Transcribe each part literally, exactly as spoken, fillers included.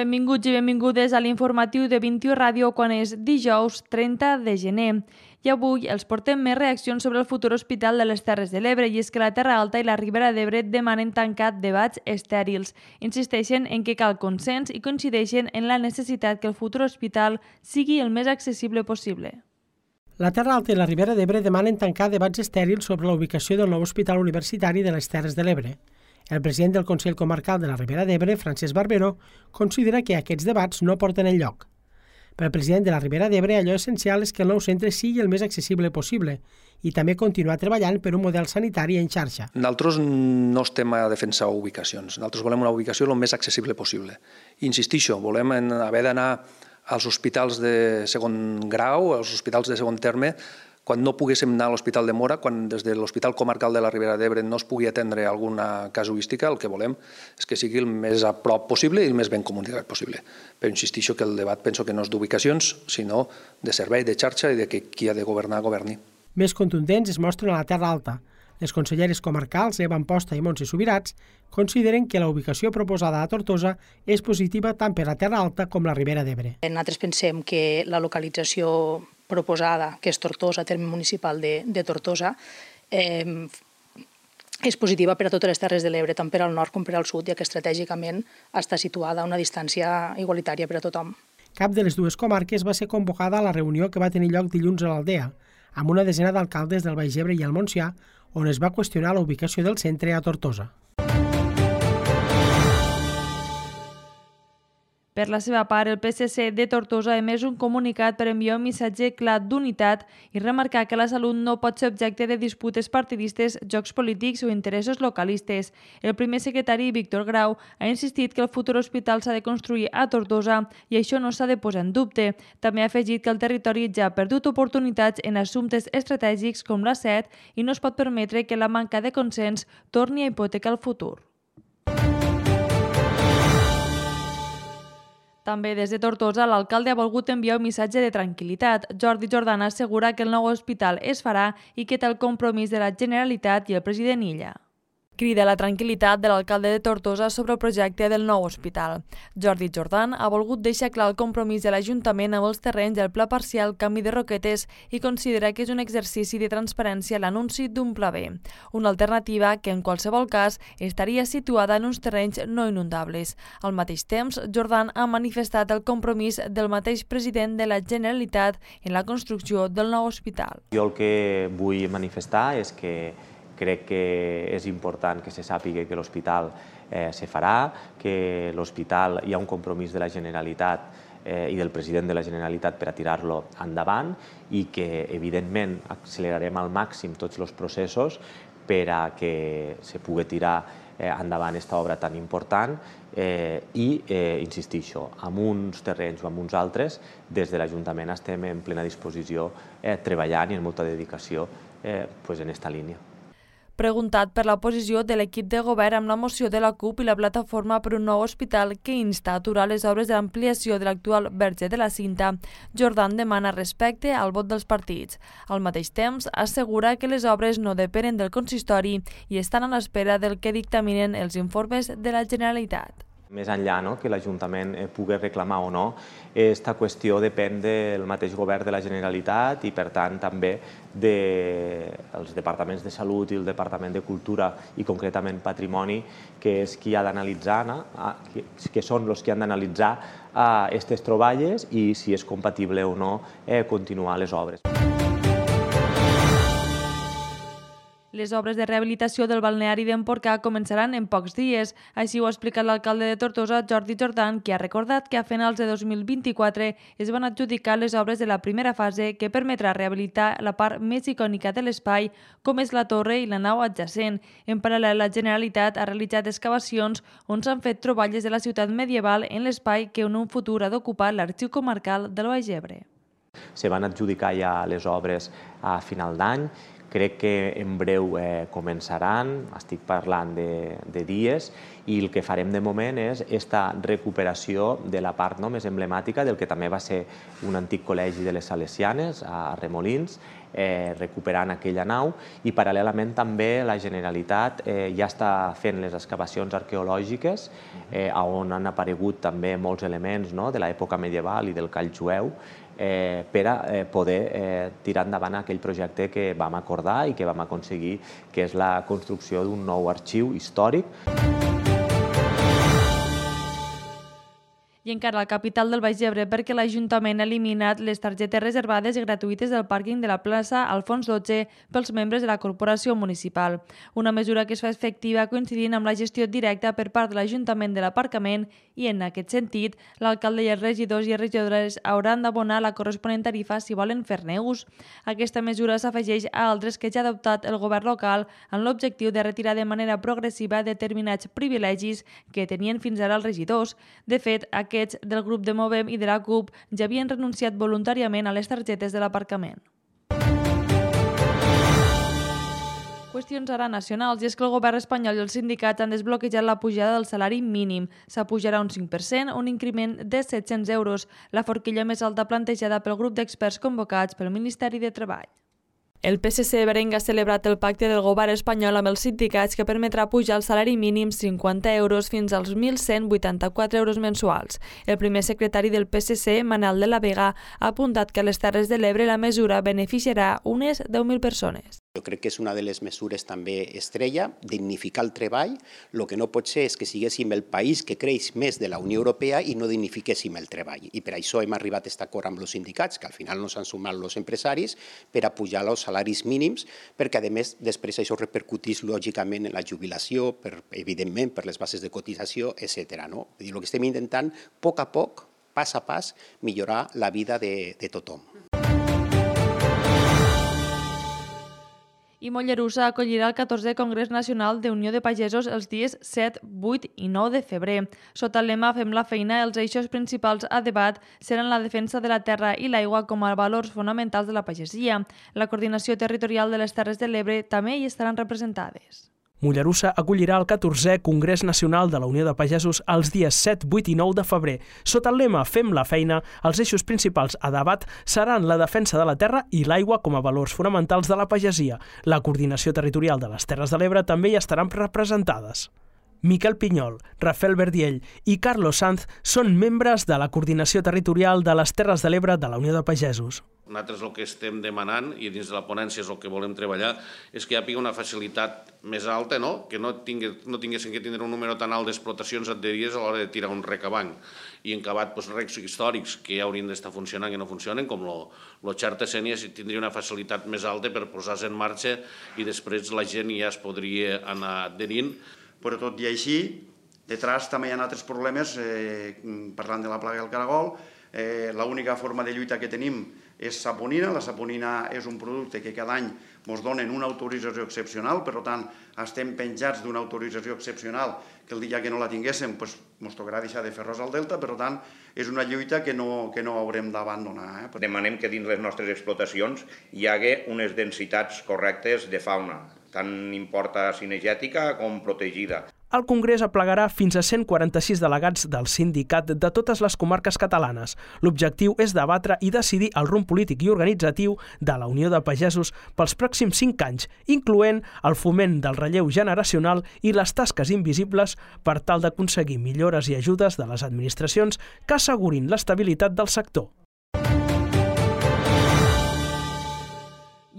Benvinguts i benvingudes a l'informatiu de vint-i-u Ràdio quan és dijous trenta de gener. I avui els portem més reaccions sobre el futur hospital de les Terres de l'Ebre, i és que la Terra Alta i la Ribera d'Ebre demanen tancar debats estèrils. Insisteixen en que cal consens i coincideixen en la necessitat que el futur hospital sigui el més accessible possible. La Terra Alta i la Ribera d'Ebre demanen tancar debats estèrils sobre la ubicació del nou hospital universitari de les Terres de l'Ebre. El president del Consell Comarcal de la Ribera d'Ebre, Francesc Barberó, considera que aquests debats no porten enlloc. Per al president de la Ribera d'Ebre, allò essencial és que el nou centre sigui el més accessible possible i també continuar treballant per un model sanitari en xarxa. Nosaltres no estem a defensar ubicacions. Nosaltres volem una ubicació el més accessible possible. Insistixo, volem haver d'anar als hospitals de segon grau, als hospitals de segon terme, quan no poguéssim anar a l'Hospital de Móra, quan des de l'Hospital Comarcal de la Ribera d'Ebre no es pugui atendre alguna casuística, el que volem és que sigui el més a prop possible i el més ben comunicat possible. Però insistixo que el debat penso que no és d'ubicacions, sinó de servei, de xarxa i de que qui ha de governar, governi. Més contundents es mostren a la Terra Alta. Les conselleres comarcals, Eva Amposta i Montse Subirats, consideren que la ubicació proposada a Tortosa és positiva tant per la Terra Alta com la Ribera d'Ebre. Nosaltres pensem que la localització proposada, que és Tortosa, terme municipal de, de Tortosa, eh, és positiva per a totes les Terres de l'Ebre, tant per al nord com per al sud, ja que estratègicament està situada a una distància igualitària per a tothom. Cap de les dues comarques va ser convocada a la reunió que va tenir lloc dilluns a l'Aldea, amb una desena d'alcaldes del Baix Ebre i el Montsià, on es va qüestionar la ubicació del centre a Tortosa. Per la seva part, el P S C de Tortosa ha emès un comunicat per enviar un missatge clar d'unitat i remarcar que la salut no pot ser objecte de disputes partidistes, jocs polítics o interessos localistes. El primer secretari, Víctor Grau, ha insistit que el futur hospital s'ha de construir a Tortosa i això no s'ha de posar en dubte. També ha afegit que el territori ja ha perdut oportunitats en assumptes estratègics com l'A set i no es pot permetre que la manca de consens torni a hipotecar el futur. També des de Tortosa, l'alcalde ha volgut enviar un missatge de tranquil·litat. Jordi Jordan assegura que el nou hospital es farà i que té el compromís de la Generalitat i el president Illa. Crida la tranquil·litat de l'alcalde de Tortosa sobre el projecte del nou hospital. Jordi Jordan ha volgut deixar clar el compromís de l'Ajuntament amb els terrenys del Pla Parcial Canvi de Roquetes i considera que és un exercici de transparència l'anunci d'un Pla B, una alternativa que en qualsevol cas estaria situada en uns terrenys no inundables. Al mateix temps, Jordan ha manifestat el compromís del mateix president de la Generalitat en la construcció del nou hospital. Jo el que vull manifestar és que crec que és important que se sàpiga que l'hospital eh, se farà, que l'hospital hi ha un compromís de la Generalitat eh, i del president de la Generalitat per a tirar-lo endavant i que, evidentment, accelerarem al màxim tots els processos per a que se pugui tirar eh, endavant aquesta obra tan important eh, i, eh, insistixo, amb uns terrenys o amb uns altres, des de l'Ajuntament estem en plena disposició eh, treballant i amb molta dedicació eh, pues en aquesta línia. Preguntat per la posició de l'equip de govern amb la moció de la CUP i la plataforma per un nou hospital que insta a aturar les obres de l'ampliació de l'actual Verge de la Cinta, Jordan demana respecte al vot dels partits. Al mateix temps, assegura que les obres no depenen del consistori i estan a l'espera del que dictaminen els informes de la Generalitat. Més enllà no, que l'Ajuntament pugui reclamar o no, aquesta qüestió depèn del mateix govern de la Generalitat i, per tant, també dels departaments de Salut i el Departament de Cultura i, concretament, Patrimoni, que és qui ha d'analitzar, que són els que han d'analitzar aquestes troballes i si és compatible o no continuar les obres. Les obres de rehabilitació del balneari d'Empordà començaran en pocs dies. Així ho ha explicat l'alcalde de Tortosa, Jordi Jordan, qui ha recordat que a finals de dos mil vint-i-quatre es van adjudicar les obres de la primera fase que permetrà rehabilitar la part més icònica de l'espai, com és la torre i la nau adjacent. En paral·lel, la Generalitat ha realitzat excavacions on s'han fet troballes de la ciutat medieval en l'espai que en un futur ha d'ocupar l'Arxiu Comarcal del Baix Ebre. Se van adjudicar ja les obres a final d'any. Crec que en breu eh, començaran, estic parlant de, de dies, i el que farem de moment és aquesta recuperació de la part no, més emblemàtica del que també va ser un antic col·legi de les Salesianes, a Remolins, eh, recuperant aquella nau, i paral·lelament també la Generalitat eh, ja està fent les excavacions arqueològiques eh, on han aparegut també molts elements, no?, de l'època medieval i del call jueu, eh, per a eh, poder eh, tirar endavant aquell projecte que vam acordar i que vam aconseguir, que és la construcció d'un nou arxiu històric. I encara la capital del Baix Ebre, perquè l'Ajuntament ha eliminat les targetes reservades i gratuïtes del pàrquing de la plaça Alfons dotze pels membres de la corporació municipal. Una mesura que es fa efectiva coincidint amb la gestió directa per part de l'Ajuntament de l'aparcament i, en aquest sentit, l'alcalde i els regidors i regidores hauran d'abonar la corresponent tarifa si volen fer-ne ús. Aquesta mesura s'afegeix a altres que ja ha adoptat el govern local amb l'objectiu de retirar de manera progressiva determinats privilegis que tenien fins ara els regidors. De fet, aquests del grup de Movem i de la C U P ja havien renunciat voluntàriament a les targetes de l'aparcament. Qüestions ara nacionals, i és que el govern espanyol i els sindicats han desbloquejat la pujada del salari mínim. S'apujarà un cinc per cent, un increment de set-cents euros, la forquilla més alta plantejada pel grup d'experts convocats pel Ministeri de Treball. El P S C berenc ha celebrat el pacte del govern espanyol amb els sindicats que permetrà pujar el salari mínim cinquanta euros fins als mil cent vuitanta-quatre euros mensuals. El primer secretari del P S C, Manel de la Vega, ha apuntat que a les Terres de l'Ebre la mesura beneficiarà unes deu mil persones. Jo crec que és una de les mesures també estrella, dignificar el treball. El que no pot ser és que siguéssim el país que creix més de la Unió Europea i no dignifiquéssim el treball. I per això hem arribat a aquest acord amb els sindicats, que al final no s'han sumat els empresaris, per a pujar els salaris mínims, perquè a més després això repercutís lògicament en la jubilació, per, evidentment per les bases de cotització, etcètera. No? El que estem intentant, a poc a poc, pas a pas, millorar la vida de, de tothom. I Mollerussa acollirà el catorzè Congrés Nacional de Unió de Pagesos els dies set, vuit i nou de febrer. Sota el lema Fem la feina, els eixos principals a debat seran la defensa de la terra i l'aigua com a valors fonamentals de la pagesia. La coordinació territorial de les Terres de l'Ebre també hi estaran representades. Mollerussa acollirà el catorzè Congrés Nacional de la Unió de Pagesos els dies set, vuit i nou de febrer. Sota el lema Fem la feina, els eixos principals a debat seran la defensa de la terra i l'aigua com a valors fonamentals de la pagesia. La coordinació territorial de les Terres de l'Ebre també hi estaran representades. Miquel Pinyol, Rafael Verdiell i Carlos Sanz són membres de la coordinació territorial de les Terres de l'Ebre de la Unió de Pagesos. Nosaltres el que estem demanant, i dins de la ponència és el que volem treballar, és que hi hagi una facilitat més alta, no? Que no, tingue, no tinguessin que tindre un número tan alt d'explotacions adherides a l'hora de tirar un rec avant. I en acabat, doncs, recs històrics que ja haurien d'estar funcionant i no funcionen, com el xarta sénia, tindria una facilitat més alta per posar-se en marxa i després la gent ja es podria anar adherint. Però tot i així, detrás també hi ha altres problemes, eh, parlant de la plaga del caragol. Eh, l'única forma de lluita que tenim és saponina. La saponina és un producte que cada any ens donen una autorització excepcional, per tant, estem penjats d'una autorització excepcional que el dia que no la tinguéssim ens doncs, tocarà deixar de fer arròs al delta, per tant, és una lluita que no, que no haurem d'abandonar. Eh? Demanem que dins les nostres explotacions hi hagi unes densitats correctes de fauna, tant importa cinegètica com protegida. El Congrés aplegarà fins a cent quaranta-sis delegats del sindicat de totes les comarques catalanes. L'objectiu és debatre i decidir el rumb polític i organitzatiu de la Unió de Pagesos pels pròxims cinc anys, incloent el foment del relleu generacional i les tasques invisibles per tal d'aconseguir millores i ajudes de les administracions que assegurin l'estabilitat del sector.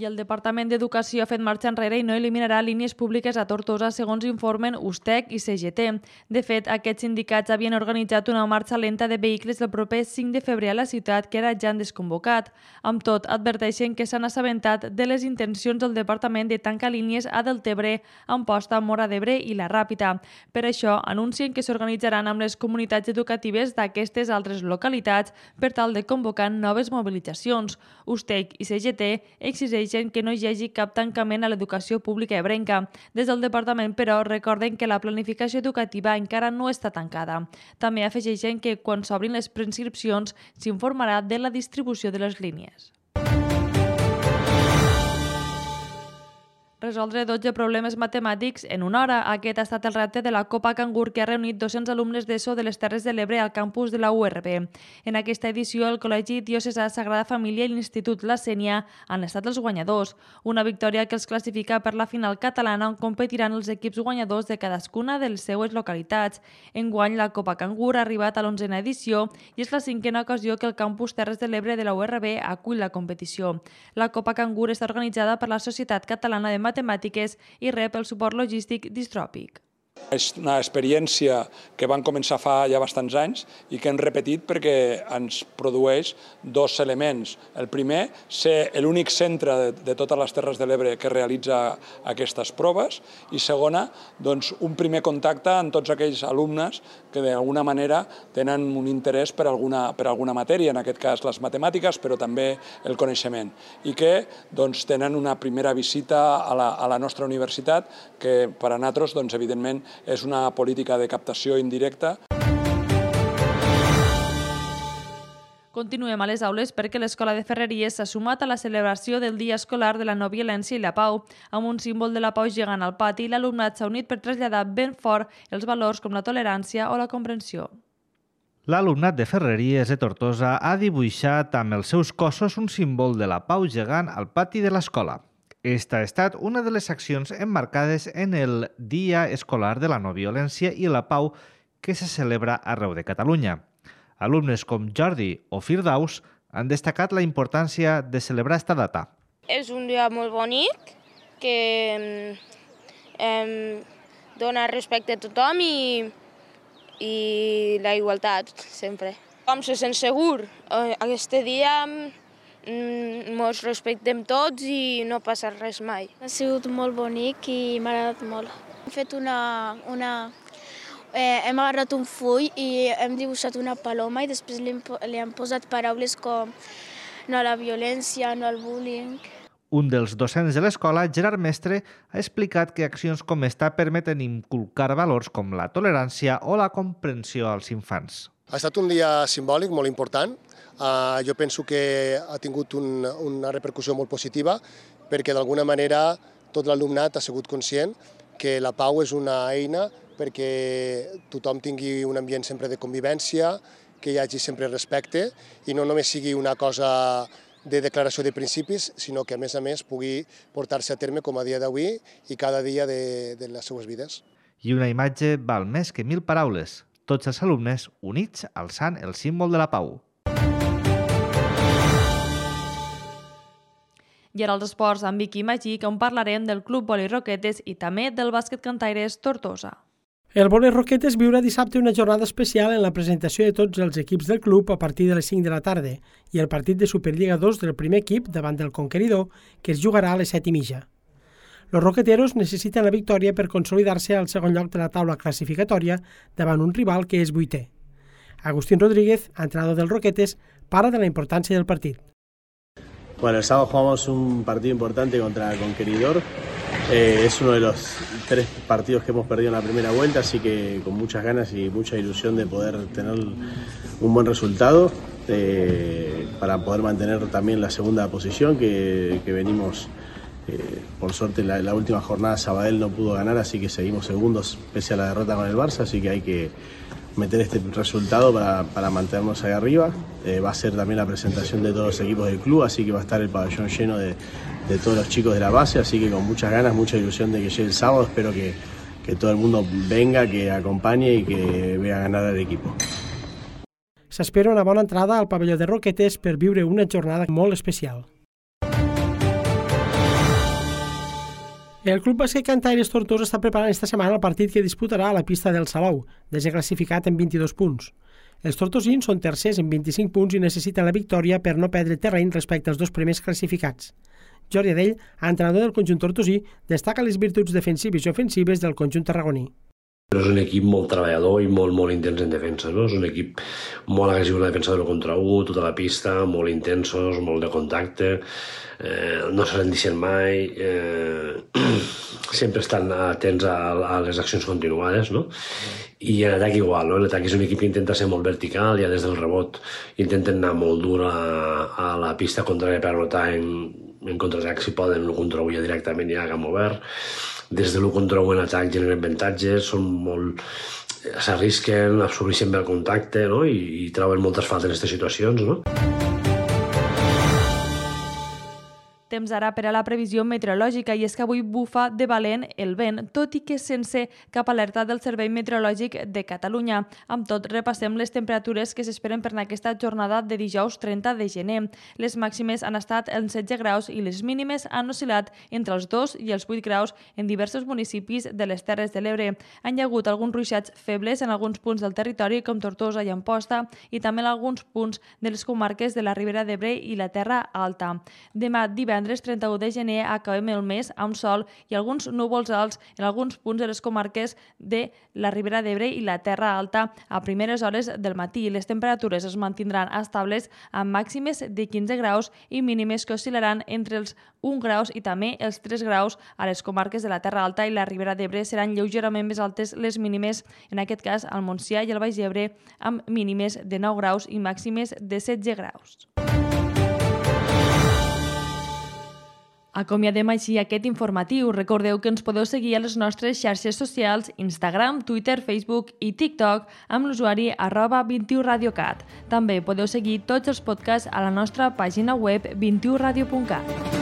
I el Departament d'Educació ha fet marxa enrere i no eliminarà línies públiques a Tortosa, segons informen USTEC i C G T. De fet, aquests sindicats havien organitzat una marxa lenta de vehicles el proper cinc de febrer a la ciutat, que ara ja han desconvocat. Amb tot, adverteixen que s'han assabentat de les intencions del Departament de tancar línies a Deltebre, Amposta, Móra d'Ebre i La Ràpita. Per això, anuncien que s'organitzaran amb les comunitats educatives d'aquestes altres localitats per tal de convocar noves mobilitzacions. USTEC i C G T exigeixen que no hi hagi cap tancament a l'educació pública ebrenca. Des del departament, però, recorden que la planificació educativa encara no està tancada. També afegeixen que quan s'obrin les preinscripcions s'informarà de la distribució de les línies. Resoldre dotze problemes matemàtics en una hora. Aquest ha estat el repte de la Copa Cangur, que ha reunit dos-cents alumnes d'ESO de les Terres de l'Ebre al campus de la U R B. En aquesta edició, el Col·legi Diocesà Sagrada Família i l'Institut La Sénia han estat els guanyadors. Una victòria que els classifica per la final catalana, on competiran els equips guanyadors de cadascuna de les seues localitats. Enguany, la Copa Cangur ha arribat a l'onzena edició i és la cinquena ocasió que el campus Terres de l'Ebre de la U R B acull la competició. La Copa Cangur està organitzada per la Societat Catalana de Matemàtiques i rep el suport logístic d'Istròpic. És una experiència que van començar fa ja bastants anys i que hem repetit perquè ens produeix dos elements. El primer, ser l'únic centre de, de totes les Terres de l'Ebre que realitza aquestes proves, i segona, doncs, un primer contacte amb tots aquells alumnes que d'alguna manera tenen un interès per alguna, per alguna matèria, en aquest cas les matemàtiques, però també el coneixement, i que doncs, tenen una primera visita a la, a la nostra universitat, que per a nosaltres, doncs, evidentment, és una política de captació indirecta. Continuem a les aules perquè l'Escola de Ferreries s'ha sumat a la celebració del Dia Escolar de la No Violència i la Pau. Amb un símbol de la pau gegant al pati, l'alumnat s'ha unit per traslladar ben fort els valors com la tolerància o la comprensió. L'alumnat de Ferreries de Tortosa ha dibuixat amb els seus cossos un símbol de la pau gegant al pati de l'escola. Esta ha estat una de les accions emmarcades en el Dia Escolar de la No Violència i la Pau que se celebra arreu de Catalunya. Alumnes com Jordi o Firdaus han destacat la importància de celebrar esta data. És un dia molt bonic que eh, dona respecte a tothom i, i la igualtat sempre. Com se sent segur, aquest dia ens respectem tots i no passa res mai. Ha sigut molt bonic i m'ha agradat molt. Hem fet una... una eh, hem agarrat un full i hem dibuixat una paloma i després li hem, li hem posat paraules com no a la violència, no al bullying. Un dels docents de l'escola, Gerard Mestre, ha explicat que accions com esta permeten inculcar valors com la tolerància o la comprensió als infants. Ha estat un dia simbòlic molt important. Uh, jo penso que ha tingut un, una repercussió molt positiva perquè d'alguna manera tot l'alumnat ha sigut conscient que la pau és una eina perquè tothom tingui un ambient sempre de convivència, que hi hagi sempre respecte i no només sigui una cosa de declaració de principis, sinó que a més a més pugui portar-se a terme com a dia d'avui i cada dia de, de les seues vides. I una imatge val més que mil paraules. Tots els alumnes units alçant el símbol de la pau. I ara els esports amb Vicky Magic, on parlarem del Club Vòlei Roquetes i també del bàsquet cantaires Tortosa. El Vòlei Roquetes viurà dissabte una jornada especial en la presentació de tots els equips del club a partir de les cinc de la tarda i el partit de Superliga dos del primer equip davant del Conqueridor, que es jugarà a les set i mitja. Los roqueteros necessiten la victòria per consolidar-se al segon lloc de la taula classificatòria davant un rival que és vuitè. Agustín Rodríguez, entrenador del Roquetes, parla de la importància del partit. Bueno, el sábado jugamos un partido importante contra Conqueridor. Eh, es uno de los tres partidos que hemos perdido en la primera vuelta, así que con muchas ganas y mucha ilusión de poder tener un buen resultado eh, para poder mantener también la segunda posición que, que venimos. Eh, por suerte la, la última jornada Sabadell no pudo ganar, así que seguimos segundos pese a la derrota con el Barça, así que hay que meter este resultado para, para mantenernos ahí arriba. Eh, va a ser también la presentación de todos los equipos del club, así que va a estar el pabellón lleno de, de todos los chicos de la base, así que con muchas ganas, mucha ilusión de que llegue el sábado. Espero que, que todo el mundo venga, que acompañe y que vea ganar al equipo. S'espera una bona entrada al pavelló de Roquetes per viure una jornada molt especial. El Club Bàsquet Cantaires Tortosa està preparant esta setmana el partit que disputarà a la pista del Salou, desè classificat en vint-i-dos punts. Els tortosins són tercers en vint-i-cinc punts i necessiten la victòria per no perdre terreny respecte als dos primers classificats. Jordi Adell, entrenador del conjunt tortosí, destaca les virtuts defensives i ofensives del conjunt tarragoní. És un equip molt treballador i molt, molt intens en defensa. No? És un equip molt agressiu en la defensa de l'u contra u, tota la pista, molt intensos, molt de contacte, eh, no se rendixen mai, eh, sempre estan atents a, a les accions continuades, no? I en atac igual, no? L'atac és un equip que intenta ser molt vertical, ja des del rebot intenten anar molt dur a, a la pista contrària per anotar en en contraatac si poden, l'u contra u ja directament ja a camp obert. Des de l'u contra u en atac generen avantatges, són molt... s'arrisquen, absorbeixen bé el contacte, no? I, i troben moltes faltes en aquestes situacions, no? Temps ara per a la previsió meteorològica, i és que avui bufa de valent el vent, tot i que sense cap alerta del Servei Meteorològic de Catalunya. Amb tot, repassem les temperatures que s'esperen per aquesta jornada de dijous trenta de gener. Les màximes han estat en setze graus i les mínimes han oscil·lat entre els dos i els vuit graus en diversos municipis de les Terres de l'Ebre. Han hi hagut alguns ruixats febles en alguns punts del territori, com Tortosa i Amposta, i també en alguns punts de les comarques de la Ribera d'Ebre i la Terra Alta. Demà, divendres, trenta-u de gener, acabem el mes amb sol i alguns núvols alts en alguns punts de les comarques de la Ribera d'Ebre i la Terra Alta a primeres hores del matí. Les temperatures es mantindran estables amb màximes de quinze graus i mínimes que oscil·laran entre els un graus i també els tres graus a les comarques de la Terra Alta i la Ribera d'Ebre. Seran lleugerament més altes les mínimes, en aquest cas al Montsià i al Baix Ebre, amb mínimes de nou graus i màximes de setze graus. Acomiadem així aquest informatiu. Recordeu que ens podeu seguir a les nostres xarxes socials, Instagram, Twitter, Facebook i TikTok amb l'usuari arroba vint i u radiocat. També podeu seguir tots els podcasts a la nostra pàgina web vint i u radio punt cat.